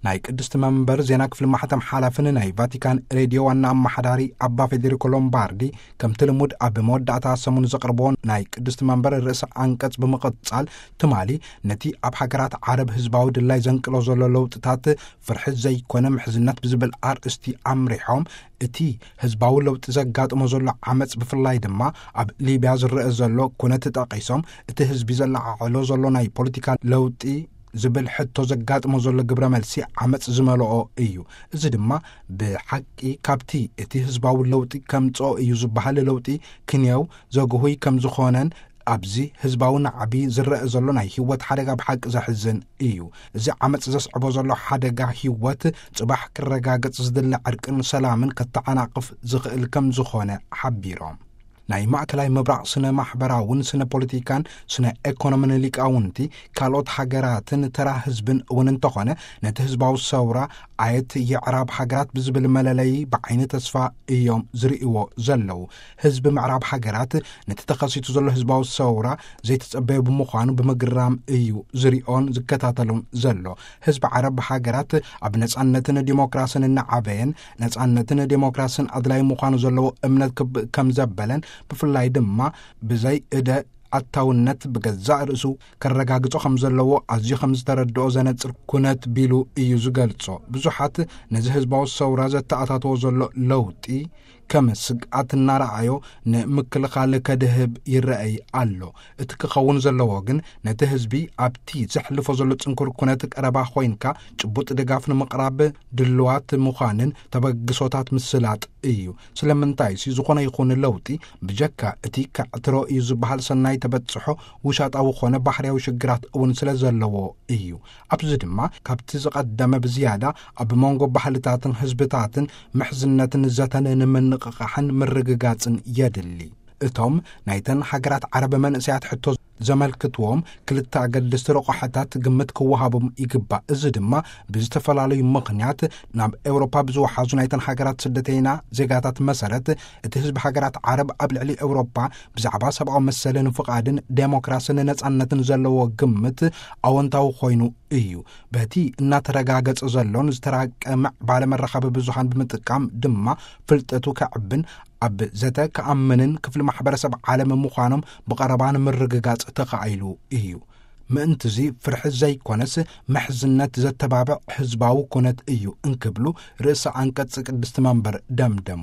ናይ ቅድስቲ መንበር ዜና ክፍሊ ማሕተም ሓላፍን ናይ ቫቲካን ሬድዮ ዋና ኣመሓዳሪ ኣባ ፌዴሪኮ ሎምባርዲ፣ ከምቲ ልሙድ ኣብ መወዳእታ ሰሙን ዘቕርቦ ናይ ቅድስቲ መንበር ርእሰ ኣንቀጽ ብምቕጻል፣ ትማሊ ነቲ ኣብ ሃገራት ዓረብ ህዝባዊ ድላይ ዘንቅሎ ዘሎ ለውጥታት ፍርሒ ዘይኮነ ምሕዝነት ብዝብል ኣርእስቲ ኣምሪሖም፣ እቲ ህዝባዊ ለውጢ ዘጋጥሞ ዘሎ ዓመጽ፣ ብፍላይ ድማ ኣብ ሊብያ ዝረአ ዘሎ ኩነት ጠቒሶም፣ እቲ ህዝቢ ዘለዓዕሎ ዘሎ ናይ ፖለቲካ ለውጢ ዝብል ሕቶ ዘጋጥሞ ዘሎ ግብረ መልሲ ዓመጽ ዝመልኦ እዩ። እዚ ድማ ብሓቂ ካብቲ እቲ ህዝባዊ ለውጢ ከምጽኦ እዩ ዝበሃል ለውጢ ክንየው ዘግሁይ ከም ዝኾነን፣ ኣብዚ ህዝባዊ ናዕቢ ዝረአ ዘሎ ናይ ህይወት ሓደጋ ብሓቂ ዘሕዝን እዩ። እዚ ዓመጽ ዘስዕቦ ዘሎ ሓደጋ ህይወት ጽባሕ ክረጋገጽ ዝድለ ዕርቅን ሰላምን ከተዓናቕፍ ዝኽእል ከም ዝኾነ ሓቢሮም። ናይ ማእከላይ ምብራቕ ስነ ማሕበራውን ስነ ፖለቲካን ስነ ኤኮኖምን ሊቃውንቲ፣ ካልኦት ሃገራትን ተራ ህዝብን እውን እንተኾነ፣ ነቲ ህዝባዊ ሰውራ ኣየት የዕራብ ሃገራት ብዝብል መለለዪ ብዓይኒ ተስፋ እዮም ዝርእይዎ ዘለዉ። ህዝቢ ምዕራብ ሃገራት ነቲ ተኸሲቱ ዘሎ ህዝባዊ ሰውራ ዘይተጸበዮ ብምዃኑ ብምግራም እዩ ዝርእዮን ዝከታተሎን ዘሎ። ህዝቢ ዓረብ ሃገራት ኣብ ነጻነትን ዲሞክራስን እናዓበየን፣ ነጻነትን ዲሞክራስን ኣድላይ ምዃኑ ዘለዎ እምነት ክብ-፣ ከም ዘበለን፣ ብፍላይ ድማ ብዘይ እደ ኣታውነት ብገዛእ ርእሱ ከረጋግጾ ከም ዘለዎ ኣዝዩ ከም ዝተረድኦ ዘነጽር ኩነት ቢሉ እዩ ዝገልጾ። ብዙሓት ነዚ ህዝባዊ ሰውራ ዘተኣታተዎ ዘሎ ለውጢ ከም ስግኣት እናረኣዮ ንምክልኻል ከድህብ ይረኣይ ኣሎ። እቲ ክኸውን ዘለዎ ግን ነቲ ህዝቢ ኣብቲ ዘሕልፎ ዘሎ ጽንኩር ኩነት ቀረባ ኮይንካ ጭቡጥ ድጋፍ ንምቕራብ ድልዋት ምዃንን ተበግሶታት ምስላጥ እዩ። ስለምንታይሲ ዝኾነ ይኹን ለውጢ ብጀካ እቲ ከዕትሮ እዩ ዝበሃል ሰናይ ተበጽሖ ውሻጣዊ ኾነ ባህርያዊ ሽግራት እውን ስለ ዘለዎ እዩ። ኣብዚ ድማ ካብቲ ዝቐደመ ብዝያዳ ኣብ መንጎ ባህልታትን ህዝብታትን ምሕዝነትን ዘተን ንምንቕቓሕን ምርግጋጽን የድሊ። እቶም ናይተን ሃገራት ዓረብ መንእሰያት ሕቶ ዘመልክትዎም ክልተ ኣገደስቲ ረቋሕታት ግምት ክወሃቦም ይግባእ። እዚ ድማ ብዝተፈላለዩ ምኽንያት ናብ ኤውሮፓ ብዝወሓዙ ናይተን ሃገራት ስደተይና ዜጋታት መሰረት፣ እቲ ህዝቢ ሃገራት ዓረብ ኣብ ልዕሊ ኤውሮፓ ብዛዕባ ሰብኣዊ መሰልን ፍቓድን ዴሞክራስን ነጻነትን ዘለዎ ግምት ኣወንታዊ ኮይኑ እዩ። በቲ እናተረጋገጸ ዘሎን ዝተራቀ ምዕባለ መራኸቢ ብዙሃን ብምጥቃም ድማ ፍልጠቱ ከዕብን ኣብ ዘተ ክኣምንን ክፍሊ ማሕበረሰብ ዓለም ምዃኖም ብቐረባ ንምርግጋጽ ተኻኢሉ እዩ። ምእንትዚ ፍርሒ ዘይኮነስ ምሕዝነት ዘተባብዕ ህዝባዊ ኩነት እዩ እንክብሉ ርእሰ ኣንቀጽ ቅድስቲ መንበር ደምደሙ።